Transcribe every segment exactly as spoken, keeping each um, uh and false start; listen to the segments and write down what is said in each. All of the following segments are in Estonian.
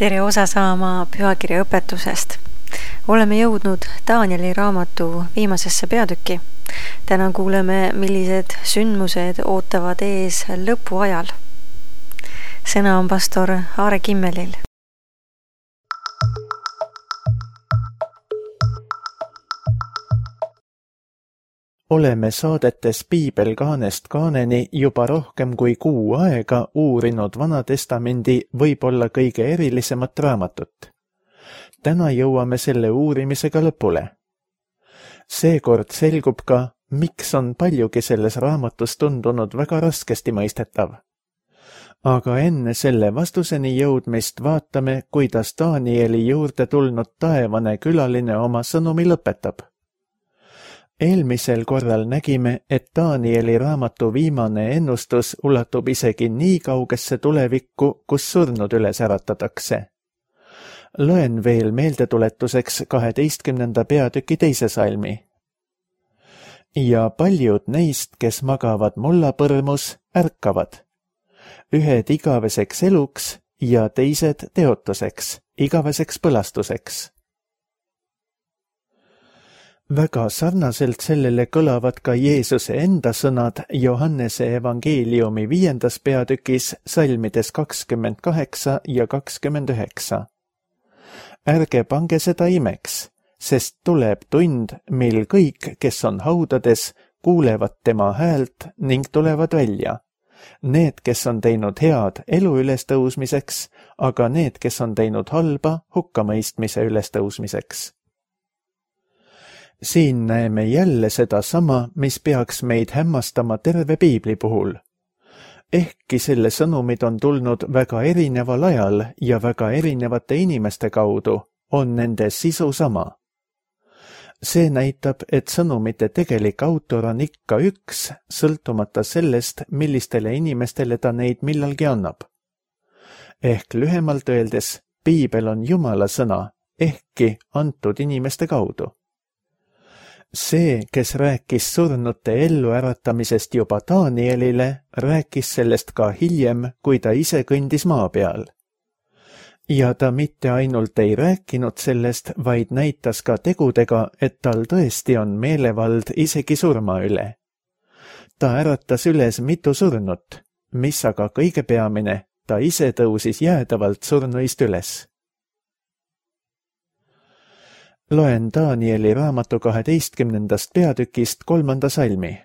Tere osa saama pühakirja õpetusest. Oleme jõudnud Danieli raamatu viimasesse peatükki. Täna kuuleme, millised sündmused ootavad ees lõpuajal. Sõna on pastor Aare Kimmelil. Oleme saadetes Piibel kaanest kaaneni juba rohkem kui kuu aega uurinud Vanatestamendi võib-olla kõige erilisemat raamatut. Täna jõuame selle uurimisega lõpule. Seekord selgub ka, miks on paljugi selles raamatus tundunud väga raskesti mõistetav. Aga enne selle vastuseni jõudmist vaatame, kuidas Danieli juurde tulnud taevane külaline oma sõnumi lõpetab. Eelmisel korral nägime, et Danieli raamatu viimane ennustus ulatub isegi nii kaugesse tulevikku, kus surnud üles äratatakse. Loen veel meeldetuletuseks kaheteistkümnenda peatüki teise salmi. Ja paljud neist, kes magavad mullapõrmus, ärkavad. Ühed igaveseks eluks ja teised teotuseks, igaveseks põlastuseks. Väga sarnaselt sellele kõlavad ka Jeesuse enda sõnad Johannese evangeeliumi viiendas peatükis salmides kakskümmend kaheksa ja kakskümmend üheksa. Ärge pange seda imeks, sest tuleb tund, mil kõik, kes on haudades, kuulevad tema häält ning tulevad välja. Need, kes on teinud head elu ülestõusmiseks, aga need, kes on teinud halba hukkamõistmise ülestõusmiseks. Siin näeme jälle seda sama, mis peaks meid hämmastama terve Piibli puhul. Ehkki selle sõnumid on tulnud väga erineval ajal ja väga erinevate inimeste kaudu, on nende sisu sama. See näitab, et sõnumite tegelik autor on ikka üks, sõltumata sellest, millistele inimestele ta neid millalgi annab. Ehk lühemalt öeldes, Piibel on Jumala sõna, ehkki antud inimeste kaudu. See, kes rääkis surnute elluäratamisest juba Danielile, rääkis sellest ka hiljem, kui ta ise kõndis maa peal. Ja ta mitte ainult ei rääkinud sellest, vaid näitas ka tegudega, et tal tõesti on meelevald isegi surma üle. Ta äratas üles mitu surnut, mis aga kõige peamine, ta ise tõusis jäädavalt surnuist üles. Loen Danieli raamatu kaheteistkümnendast peatükist kolmanda salmi.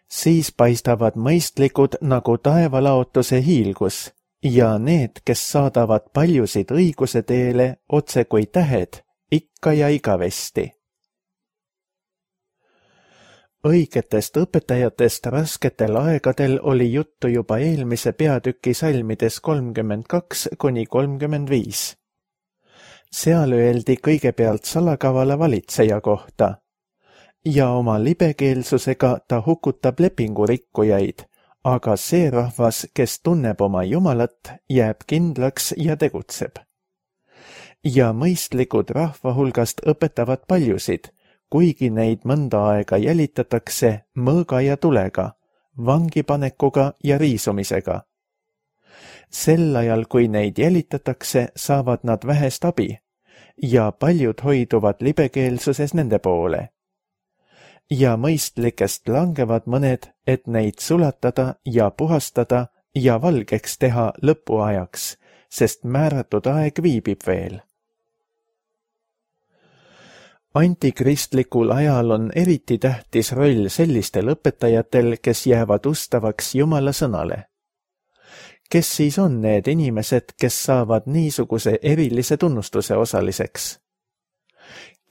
Siis paistavad mõistlikud nagu taevalaotuse hiilgus ja need, kes saadavad paljusid õiguse teele otse kui tähed, ikka ja igavesti. Õigetest õpetajatest rasketel aegadel oli juttu juba eelmise peatüki salmides kolmkümmend kaks kuni kolmkümmend viis. Seal öeldi kõigepealt salakavala valitseja kohta ja oma libekeelsusega ta hukutab lepingurikkujaid, aga see rahvas, kes tunneb oma Jumalat, jääb kindlaks ja tegutseb. Ja mõistlikud rahva hulgast õpetavad paljusid, kuigi neid mõnda aega jälitatakse mõõga ja tulega, vangipanekuga ja riisumisega. Sel ajal, kui neid jälitatakse, saavad nad vähest abi ja paljud hoiduvad libekeelsuses nende poole. Ja mõistlikest langevad mõned, et neid sulatada ja puhastada ja valgeks teha lõpuajaks, sest määratud aeg viibib veel. Antikristlikul ajal on eriti tähtis roll sellistel õpetajatel, kes jäävad ustavaks Jumala sõnale. Kes siis on need inimesed, kes saavad niisuguse erilise tunnustuse osaliseks?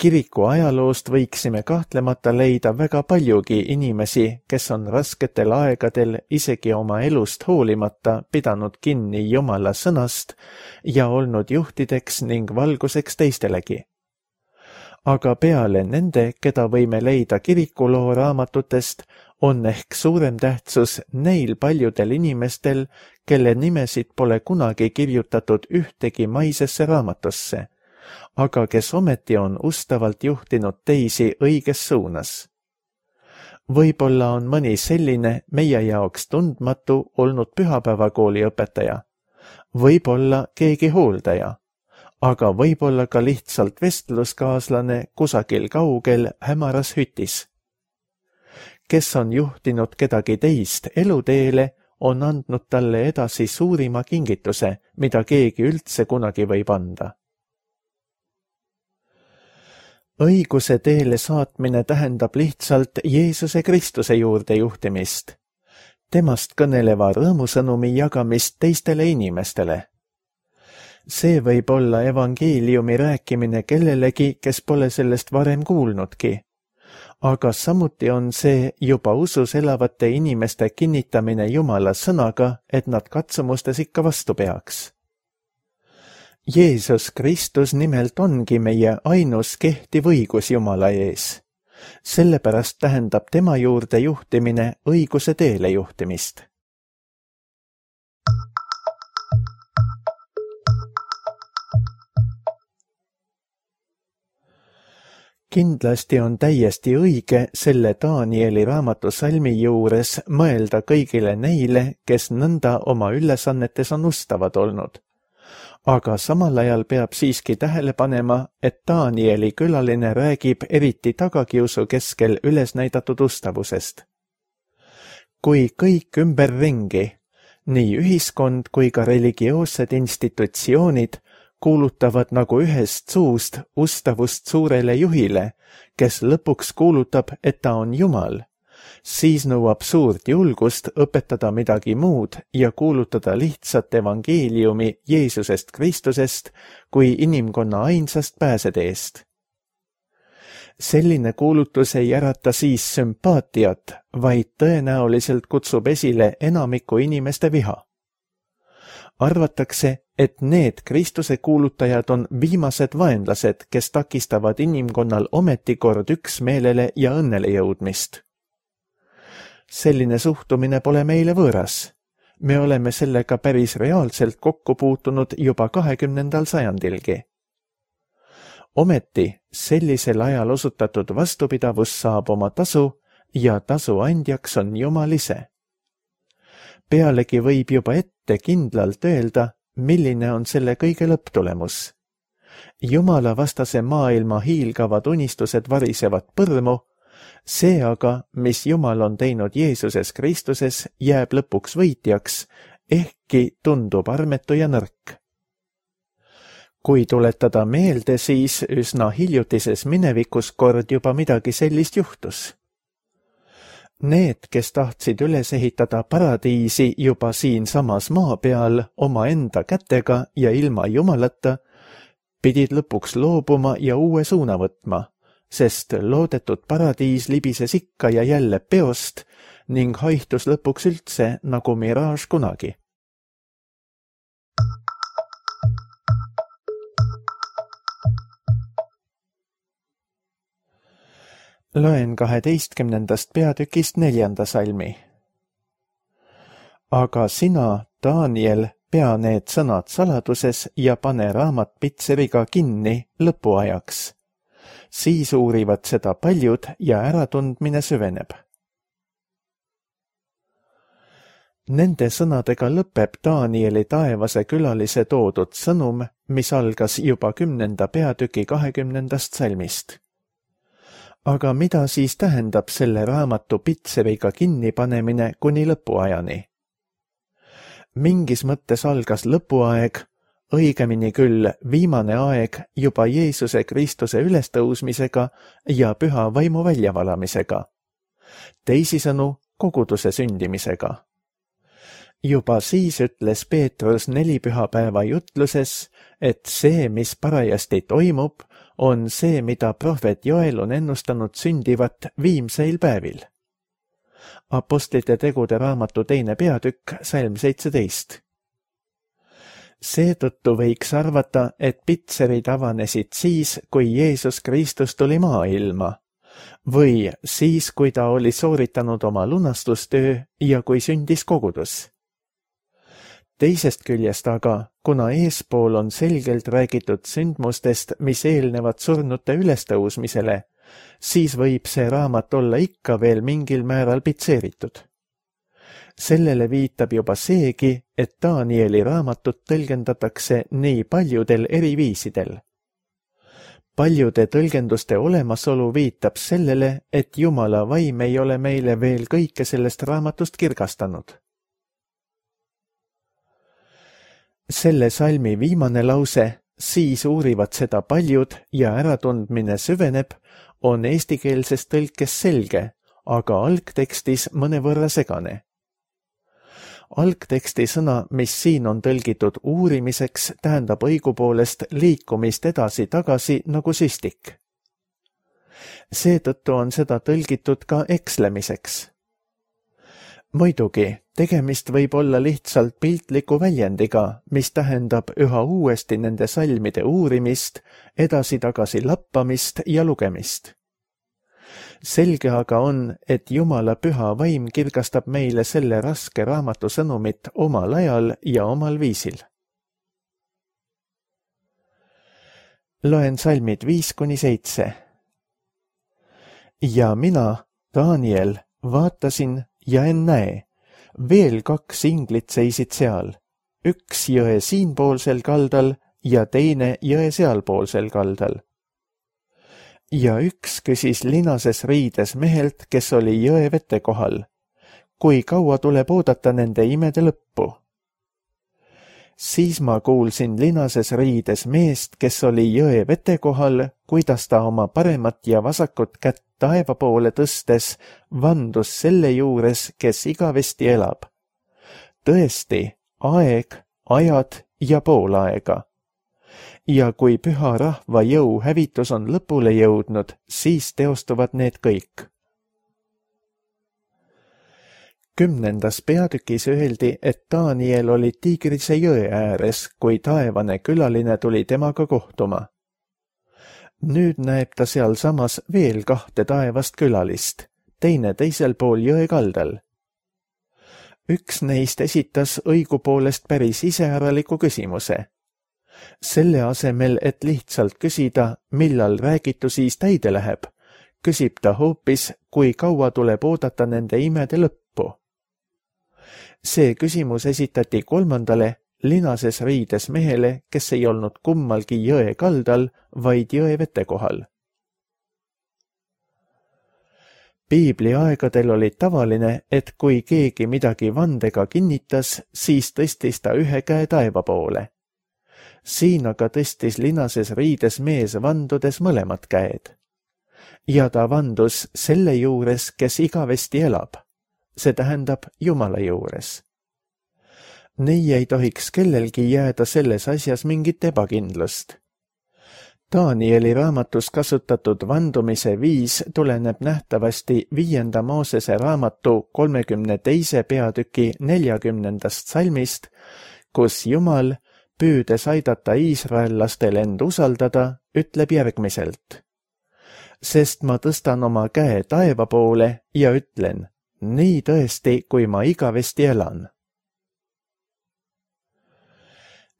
Kiriku ajaloost võiksime kahtlemata leida väga paljugi inimesi, kes on rasketel aegadel isegi oma elust hoolimata pidanud kinni Jumala sõnast ja olnud juhtideks ning valguseks teistelegi. Aga peale nende, keda võime leida kirikuloo raamatutest, on ehk suurem tähtsus neil paljudel inimestel, kelle nimesid pole kunagi kirjutatud ühtegi maisesse raamatusse, aga kes ometi on ustavalt juhtinud teisi õiges suunas. Võib-olla on mõni selline meie jaoks tundmatu olnud pühapäevakooli õpetaja, võib-olla keegi hooldaja, aga võib-olla ka lihtsalt vestluskaaslane kusagil kaugel hämaras hütis. Kes on juhtinud kedagi teist eluteele, on andnud talle edasi suurima kingituse, mida keegi üldse kunagi võib anda. Õiguse teele saatmine tähendab lihtsalt Jeesuse Kristuse juurde juhtimist, temast kõneleva rõõmusõnumi jagamist teistele inimestele. See võib olla evangeeliumi rääkimine kellelegi, kes pole sellest varem kuulnudki, aga samuti on see juba usus elavate inimeste kinnitamine Jumala sõnaga, et nad katsumustes ikka vastu peaks. Jeesus Kristus nimelt ongi meie ainus kehtiv õigus Jumala ees. Sellepärast tähendab tema juurde juhtimine õiguse teele juhtimist. Kindlasti on täiesti õige selle Danieli raamatu salmi juures mõelda kõigile neile, kes nõnda oma ülesannetes on ustavad olnud. Aga samal ajal peab siiski tähele panema, et Danieli külaline räägib eriti tagakiusu keskel üles näidatud ustavusest. Kui kõik ümberringi, nii ühiskond kui ka religioossed institutsioonid kuulutavad nagu ühest suust ustavust suurele juhile, kes lõpuks kuulutab, et ta on Jumal, siis nõuab suurt julgust õpetada midagi muud ja kuulutada lihtsat evangeeliumi Jeesusest Kristusest kui inimkonna ainsast pääseteest. Selline kuulutus ei ärata siis sümpaatiat, vaid tõenäoliselt kutsub esile enamiku inimeste viha. Arvatakse, et need Kristuse kuulutajad on viimased vaenlased, kes takistavad inimkonnal ometikord üksmeelele ja õnnele jõudmist. Selline suhtumine pole meile võõras. Me oleme sellega päris reaalselt kokku puutunud juba kahekümnendal sajandilgi. Ometi sellisel ajal osutatud vastupidavus saab oma tasu ja tasu andjaks on Jumal ise. Pealegi võib juba ette kindlalt öelda, milline on selle kõige lõpptulemus. Jumala vastase maailma hiilgavad unistused varisevad põrmu, see aga, mis Jumal on teinud Jeesuses Kristuses, jääb lõpuks võitjaks, ehkki tundub armetu ja nõrk. Kui tuletada meelde, siis üsna hiljutises minevikus kord juba midagi sellist juhtus. Need, kes tahtsid üles ehitada paradiisi juba siinsamas maa peal oma enda kätega ja ilma Jumalata, pidid lõpuks loobuma ja uue suuna võtma, sest loodetud paradiis libises ikka ja jälle peost ning haihtus lõpuks üldse nagu miraaž kunagi. Loen kaheteistkümnendast peatükist neljanda salmi. Aga sina, Daniel, pea need sõnad saladuses ja pane raamat pitseriga kinni lõpuajaks. Siis uurivad seda paljud ja äratundmine süveneb. Nende sõnadega lõpeb Danieli taevase külalise toodud sõnum, mis algas juba kümnenda peatüki kahekümnendast salmist. Aga mida siis tähendab selle raamatu pitseriga kinnipanemine kuni lõpuajani? Mingis mõttes algas lõpuaeg, õigemini küll viimane aeg juba Jeesuse Kristuse ülestõusmisega ja püha vaimu väljavalamisega. Teisisõnu, koguduse sündimisega. Juba siis ütles Peetrus neli pühapäeva jutluses, et see, mis parajasti toimub, on see, mida prohvet Joel on ennustanud sündivat viimseil päevil. Apostlite tegude raamatu teine peatükk, salm seitseteist. Seetõttu võiks arvata, et pitserid avanesid siis, kui Jeesus Kristus tuli maailma, või siis, kui ta oli sooritanud oma lunastustöö ja kui sündis kogudus. Teisest küljest aga, kuna eespool on selgelt räägitud sündmustest, mis eelnevad surnute ülestõusmisele, siis võib see raamat olla ikka veel mingil määral pitseeritud. Sellele viitab juba seegi, et Danieli raamatut tõlgendatakse nii paljudel eri viisidel. Paljude tõlgenduste olemasolu viitab sellele, et Jumala vaim ei ole meile veel kõike sellest raamatust kirgastanud. Selle salmi viimane lause, siis uurivad seda paljud ja äratundmine süveneb, on eestikeelses tõlkes selge, aga algtekstis mõnevõrra segane. Algteksti sõna, mis siin on tõlgitud uurimiseks, tähendab õigupoolest liikumist edasi-tagasi nagu süstik. Seetõttu on seda tõlgitud ka ekslemiseks. Muidugi, tegemist võib olla lihtsalt piltliku väljendiga, mis tähendab üha uuesti nende salmide uurimist, edasi-tagasi lappamist ja lugemist. Selge aga on, et Jumala püha vaim kirgastab meile selle raske raamatu sõnumit omal ajal ja omal viisil. Loen salmid viis kuni seitse. Ja mina, Daniel, vaatasin ja en näe. Veel kaks inglit seisid seal, üks jõe siinpoolsel kaldal ja teine jõe sealpoolsel kaldal. Ja üks küsis linases riides mehelt, kes oli jõe vete kohal. Kui kaua tuleb oodata nende imede lõppu? Siis ma kuulsin linases riides meest, kes oli jõe vete kohal, kuidas ta oma paremat ja vasakut kätt taeva poole tõstes vandus selle juures, kes igavesti elab. Tõesti, aeg, ajad ja poolaega. Ja kui püha rahva jõu hävitus on lõpule jõudnud, siis teostuvad need kõik. Kümnendas peatükis öeldi, et Daniel oli Tigrise jõe ääres, kui taevane külaline tuli temaga kohtuma. Nüüd näeb ta seal samas veel kahte taevast külalist, teine teisel pool jõe kaldal. Üks neist esitas õigupoolest päris iseäraliku küsimuse. Selle asemel, et lihtsalt küsida, millal räägitu siis täide läheb, küsib ta hoopis, kui kaua tuleb oodata nende imede lõppu. See küsimus esitati kolmandale, linases riides mehele, kes ei olnud kummalgi jõe kaldal, vaid jõe vete kohal. Piibli aegadel oli tavaline, et kui keegi midagi vandega kinnitas, siis tõstis ta ühe käe taeva poole. Siin aga tõstis linases riides mees vandudes mõlemad käed. Ja ta vandus selle juures, kes igavesti elab. See tähendab Jumala juures. Nii ei tohiks kellelgi jääda selles asjas mingit ebakindlust. Danieli raamatus kasutatud vandumise viis tuleneb nähtavasti viienda Moosese raamatu kolmekümne teise peatüki neljakümnendast salmist, kus Jumal, püüdes aidata iisraellastel end usaldada, ütleb järgmiselt. Sest ma tõstan oma käe taeva poole ja ütlen, nii tõesti, kui ma igavesti elan.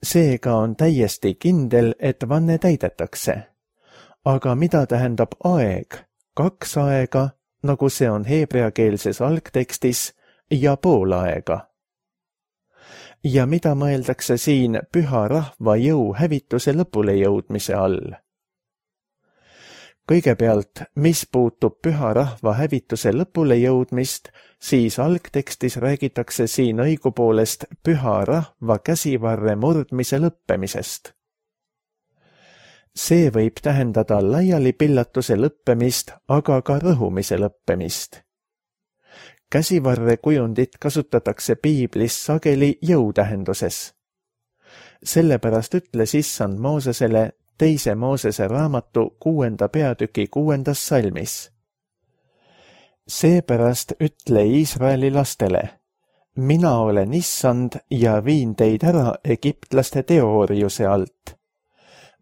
Seega on täiesti kindel, et vanne täidetakse. Aga mida tähendab aeg, kaks aega, nagu see on heebreakeelses algtekstis, ja pool aega? Ja mida mõeldakse siin püha rahva jõu hävituse lõpule jõudmise all? Kõigepealt, mis puutub püha rahva hävituse lõpule jõudmist, siis algtekstis räägitakse siin õigupoolest püha rahva käsivarre murdmise lõppemisest. See võib tähendada laialipillatuse lõppemist, aga ka rõhumise lõppemist. Käsivarre kujundit kasutatakse piiblis sageli jõutähenduses. Sellepärast ütles issand Moosesele teise Moosese raamatu kuuenda peatüki kuuendas salmis. Seepärast ütle Iisraeli lastele, mina olen issand ja viin teid ära egiptlaste teoorjuse alt.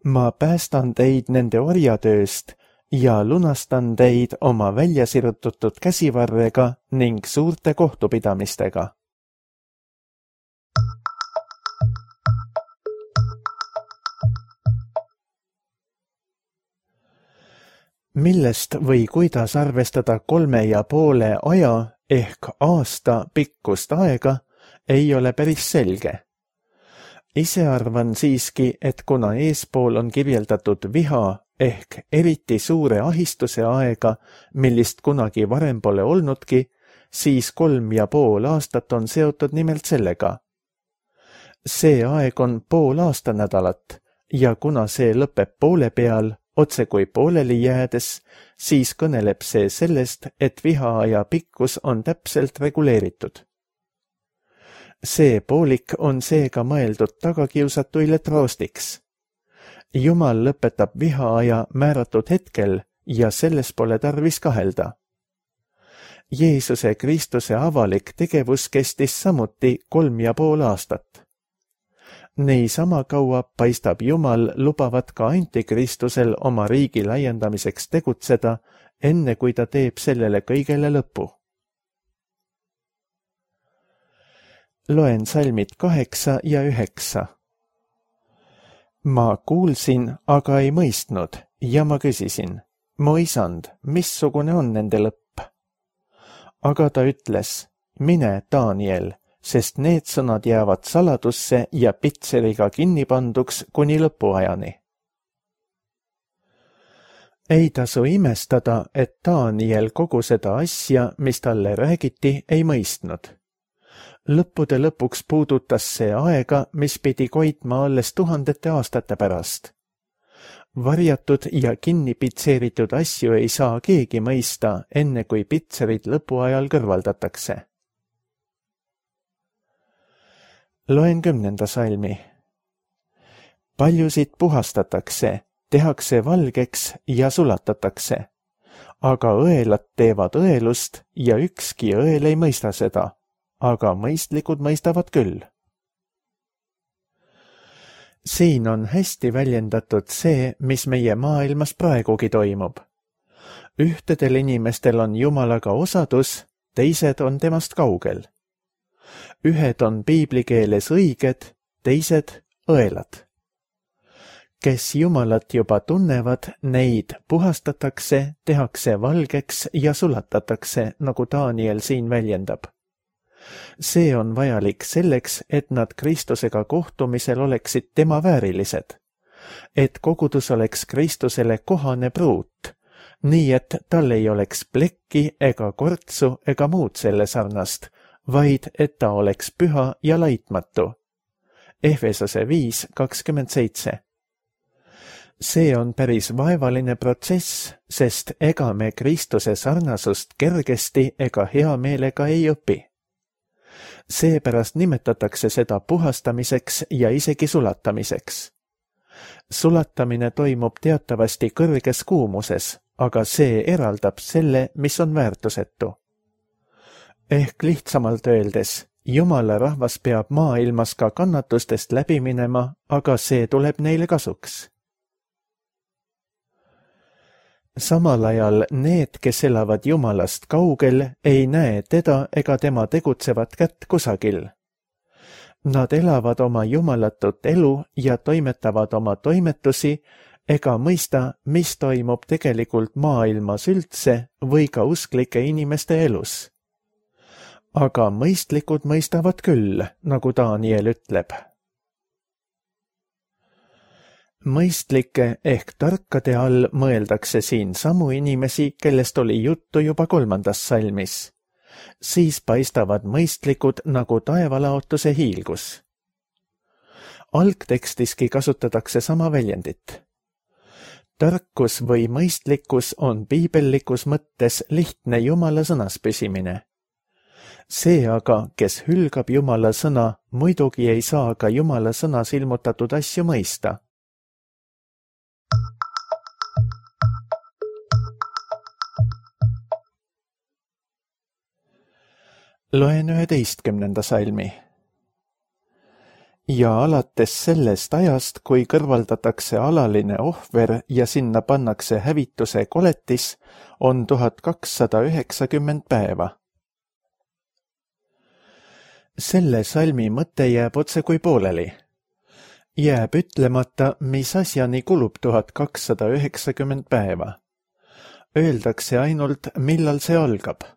Ma päästan teid nende orjatööst ja lunastan teid oma väljasirutatud käsivarrega ning suurte kohtupidamistega. Millest või kuidas arvestada kolme ja poole aja ehk aasta pikkust aega ei ole päris selge. Ise arvan siiski, et kuna eespool on kirjeldatud viha ehk eriti suure ahistuse aega, millist kunagi varem pole olnudki, siis kolm ja pool aastat on seotud nimelt sellega. See aeg on pool aastanädalat ja kuna see lõpeb poole peal, otse kui pooleli jäädes, siis kõneleb see sellest, et vihaaja pikkus on täpselt reguleeritud. See poolik on seega mõeldud tagakiusatuile troostiks. Jumal lõpetab vihaaja määratud hetkel ja selles pole tarvis kahelda. Jeesuse Kristuse avalik tegevus kestis samuti kolm ja pool aastat. Niisama kaua paistab Jumal lubavat ka antikristusel oma riigi laiendamiseks tegutseda, enne kui ta teeb sellele kõigele lõpu. Loen salmid kaheksa ja üheksa. Ma kuulsin, aga ei mõistnud ja ma küsisin, mu isand, missugune on nende lõpp? Aga ta ütles, mine, Daniel, sest need sõnad jäävad saladusse ja pitseriga kinni panduks kuni lõpuajani. Ei tasu imestada, et Daniel kogu seda asja, mis talle räägiti, ei mõistnud. Lõppude lõpuks puudutas see aega, mis pidi koitma alles tuhandete aastate pärast. Varjatud ja kinni pitseeritud asju ei saa keegi mõista, enne kui pitserid lõpuajal kõrvaldatakse. Loen kümnenda salmi. Paljusid puhastatakse, tehakse valgeks ja sulatatakse, aga õelad teevad õelust ja ükski õel ei mõista seda, aga mõistlikud mõistavad küll. Siin on hästi väljendatud see, mis meie maailmas praegugi toimub. Ühtedel inimestel on Jumalaga osadus, teised on temast kaugel. Ühed on piibli keeles õiged, teised õelad. Kes Jumalat juba tunnevad, neid puhastatakse, tehakse valgeks ja sulatatakse, nagu Daniel siin väljendab. See on vajalik selleks, et nad Kristusega kohtumisel oleksid tema väärilised, et kogudus oleks Kristusele kohane pruut, nii et tal ei oleks plekki ega kortsu ega muud selle sarnast, vaid et ta oleks püha ja laitmatu. Efesose viis kakskümmend seitse. See on päris vaevaline protsess, sest ega me Kristuse sarnasust kergesti ega hea meelega ei õpi. Seepärast nimetatakse seda puhastamiseks ja isegi sulatamiseks. Sulatamine toimub teatavasti kõrges kuumuses, aga see eraldab selle, mis on väärtusetu. Ehk lihtsamalt öeldes, Jumala rahvas peab maailmas ka kannatustest läbi minema, aga see tuleb neile kasuks. Samal ajal need, kes elavad Jumalast kaugel, ei näe teda ega tema tegutsevat kätt kusagil. Nad elavad oma jumalatut elu ja toimetavad oma toimetusi ega mõista, mis toimub tegelikult maailmas üldse või ka usklike inimeste elus. Aga mõistlikud mõistavad küll, nagu Daniel ütleb. Mõistlike ehk tarkade all mõeldakse siin samu inimesi, kellest oli juttu juba kolmandas salmis. Siis paistavad mõistlikud nagu taevalaotuse hiilgus. Algtekstiski kasutatakse sama väljendit. Tarkus või mõistlikkus on piibellikus mõttes lihtne Jumala sõnas püsimine. See aga, kes hülgab Jumala sõna, muidugi ei saa ka Jumala sõnas ilmutatud asju mõista. Loen üheteistkümnenda salmi. Ja alates sellest ajast, kui kõrvaldatakse alaline ohver ja sinna pannakse hävituse koletis, on tuhat kakssada üheksakümmend päeva. Selle salmi mõte jääb otse kui pooleli. Jääb ütlemata, mis asjani kulub tuhat kakssada üheksakümmend päeva. Öeldakse ainult, millal see algab.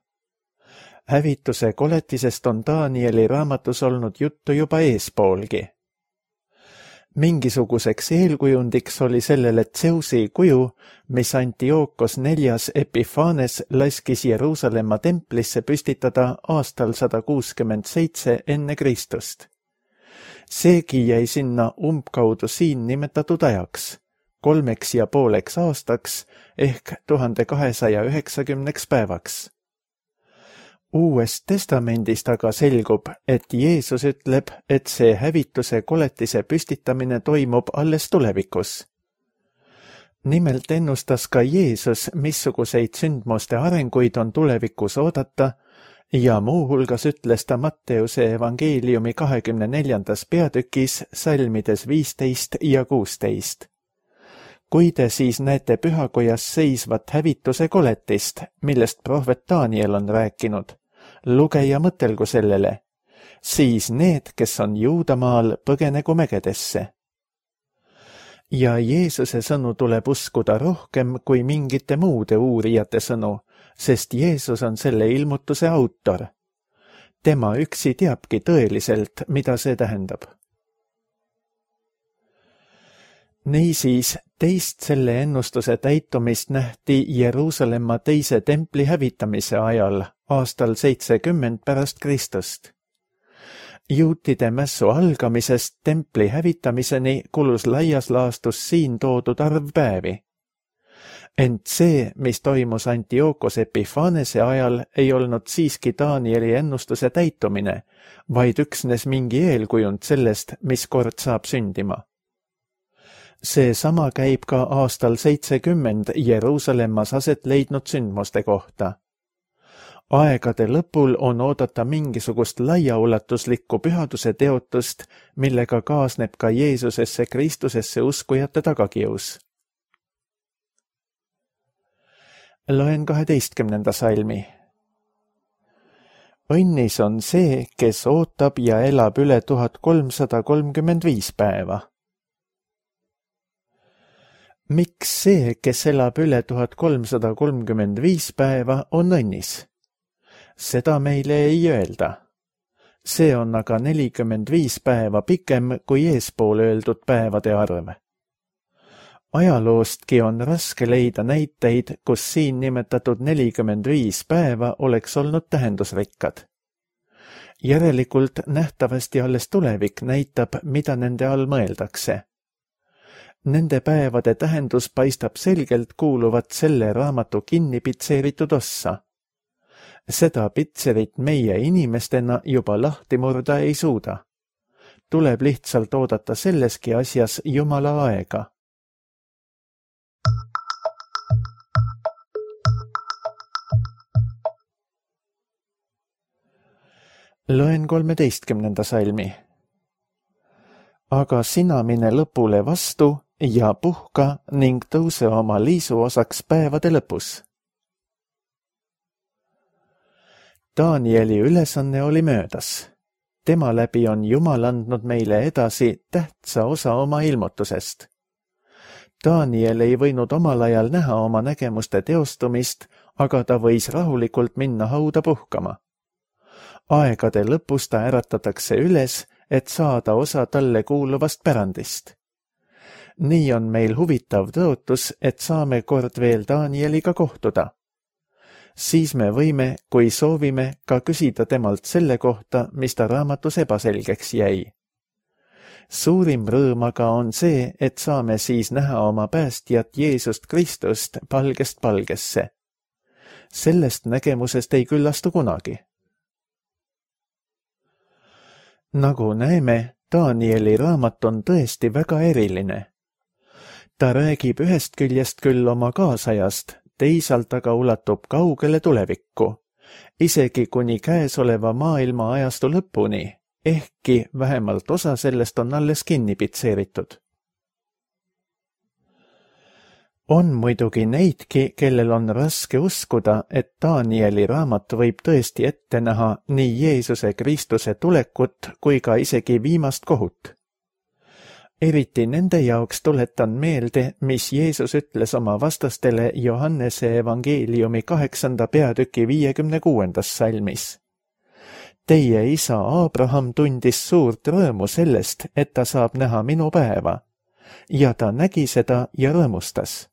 hävituse koletisest on Danieli raamatus olnud juttu juba eespoolgi. Mingisuguseks eelkujundiks oli sellele Zeusi kuju, mis Antiookos neljas Epiphanes laskis Jeruusalemma templisse püstitada aastal sada kuuskümmend seitse enne Kristust. Seegi jäi sinna umbkaudu siin nimetatud ajaks, kolmeks ja pooleks aastaks ehk tuhande kahesaja üheksakümneks päevaks. Uuest testamendist aga selgub, et Jeesus ütleb, et see hävituse koletise püstitamine toimub alles tulevikus. Nimelt ennustas ka Jeesus, missuguseid sündmuste arenguid on tulevikus oodata ja muuhulgas ütles ta Matteuse evangeeliumi kahekümne neljandas peatükis salmides viisteist ja kuusteist. Kui te siis näete pühakojas seisvat hävituse koletist, millest prohvet Daniel on rääkinud, luge ja mõtelgu sellele, siis need, kes on Juudamaal, põgenegu mägedesse. Ja Jeesuse sõnu tuleb uskuda rohkem kui mingite muude uurijate sõnu, sest Jeesus on selle ilmutuse autor. Tema üksi teabki tõeliselt, mida see tähendab. Niisiis, teist selle ennustuse täitumist nähti Jeruusalemma teise templi hävitamise ajal, aastal seitsekümmend pärast Kristust. Juutide mässu algamisest templi hävitamiseni kulus laias laastus siin toodud arv päevi. Ent see, mis toimus Antiookos Epiphanese ajal, ei olnud siiski Danieli ennustuse täitumine, vaid üksnes mingi eelkujund sellest, mis kord saab sündima. See sama käib ka aastal seitsekümmend Jeruusalemmas aset leidnud sündmuste kohta. Aegade lõpul on oodata mingisugust laiaulatuslikku pühaduse teotust, millega kaasneb ka Jeesusesse Kristusesse uskujate tagakius. Loen kaheteistkümnenda salmi. Õnnis on see, kes ootab ja elab üle tuhat kolmsada kolmkümmend viis päeva. Miks see, kes elab üle tuhat kolmsada kolmkümmend viis päeva, on õnnis? Seda meile ei öelda. See on aga nelikümmend viis päeva pikem kui eespool öeldud päevade arv. Ajaloostki on raske leida näiteid, kus siin nimetatud nelikümmend viis päeva oleks olnud tähendusrikkad. Järelikult nähtavasti alles tulevik näitab, mida nende all mõeldakse. Nende päevade tähendus paistab selgelt kuuluvat selle raamatu kinni pitseeritud ossa. Seda pitserit meie inimestena juba lahti murda ei suuda. Tuleb lihtsalt oodata selleski asjas Jumala aega. Loen kolmeteistkümnenda salmi. Aga sina mine lõpule vastu ja puhka ning tõuse oma liisu osaks päevade lõpus. Danieli ülesanne oli möödas. Tema läbi on Jumal andnud meile edasi tähtsa osa oma ilmutusest. Daniel ei võinud omal ajal näha oma nägemuste teostumist, aga ta võis rahulikult minna hauda puhkama. Aegade lõpus ta äratatakse üles, et saada osa talle kuuluvast pärandist. Nii on meil huvitav tõotus, et saame kord veel Danieliga kohtuda. Siis me võime, kui soovime, ka küsida temalt selle kohta, mis ta raamatus ebaselgeks jäi. Suurim rõõm aga on see, et saame siis näha oma päästjat Jeesust Kristust palgest palgesse. Sellest nägemusest ei küllastu kunagi. Nagu näeme, Danieli raamat on tõesti väga eriline. Ta räägib ühest küljest küll oma kaasajast, teisalt aga ulatub kaugele tulevikku, isegi kuni käesoleva maailma ajastu lõpuni, ehkki vähemalt osa sellest on alles kinni pitseeritud. On muidugi neidki, kellel on raske uskuda, et Danieli raamat võib tõesti ette näha nii Jeesuse Kristuse tulekut kui ka isegi viimast kohut. Eriti nende jaoks tuletan meelde, mis Jeesus ütles oma vastastele Johannese evangeeliumi kaheksanda peatüki viiekümne kuuendas salmis. Teie isa Abraham tundis suurt rõõmu sellest, et ta saab näha minu päeva, ja ta nägi seda ja rõõmustas.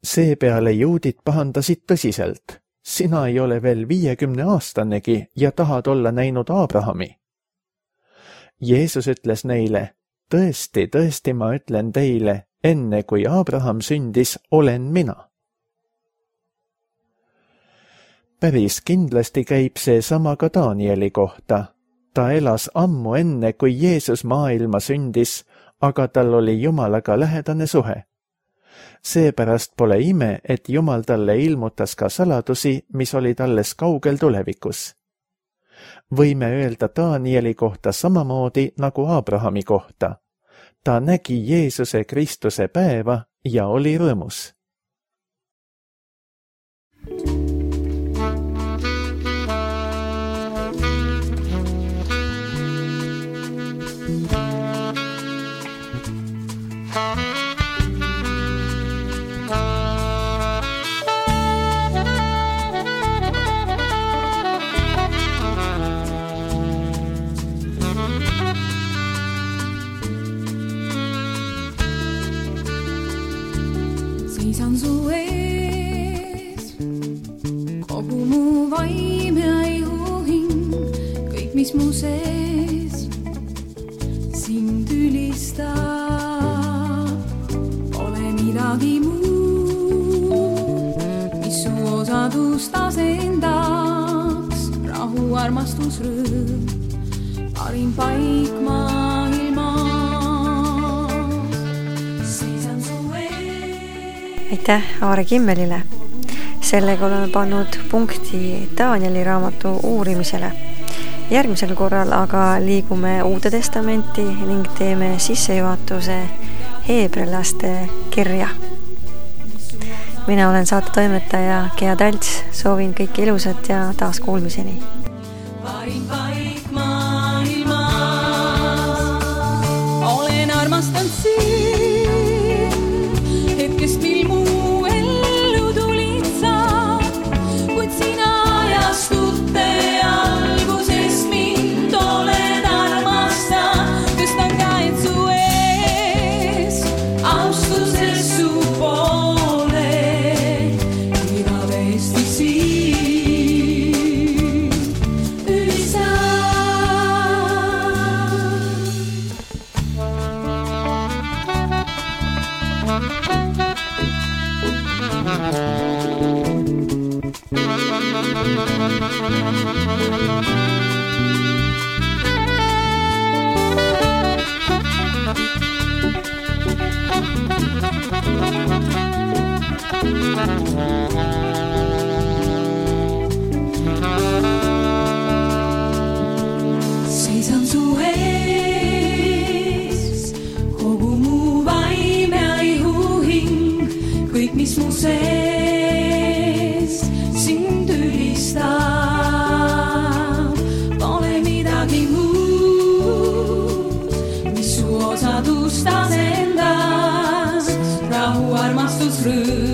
Seepeale juudid pahandasid tõsiselt. Sina ei ole veel viiekümne aastanegi ja tahad olla näinud Abrahami. Jeesus ütles neile, tõesti, tõesti ma ütlen teile, enne kui Abraham sündis, olen mina. Päris kindlasti käib see sama ka Danieli kohta. Ta elas ammu enne, kui Jeesus maailma sündis, aga tal oli Jumalaga lähedane suhe. Seepärast pole ime, et Jumal talle ilmutas ka saladusi, mis olid alles kaugel tulevikus. Võime öelda Danieli kohta samamoodi nagu Abrahami kohta. Ta nägi Jeesuse Kristuse päeva ja oli rõõmus. Seisan su ees, kogu mu vaim ja ihuhing, kõik mis mu sees sind ülistab. Pole midagi muud, mis su osadust asendaks. Rahu, armastus, rõõm, parim paik maailmas. Aitäh Aare Kimmelile. Sellega oleme pannud punkti Danieli raamatu uurimisele. Järgmisel korral aga liigume Uude Testamenti ning teeme sissejuhatuse heebrealaste kirja. Mina olen saate toimetaja Gea Talts, soovin kõike ilusat ja taas kuulmiseni. Parim paik maailmas, olen armastanud siin, hetkest mil mu ellu tulid sa, kuid sina ajastute alguses mind oled armastanud. Tõstan käed su ees, austuses su poole, igavesti siin ülistan. Seisan su ees, kogu mu vaim ja ihuhing, kõik mis mu sees sind ülistab. Pole midagi muud, mis su osadust asendaks. Rahu, armastus, rõõm,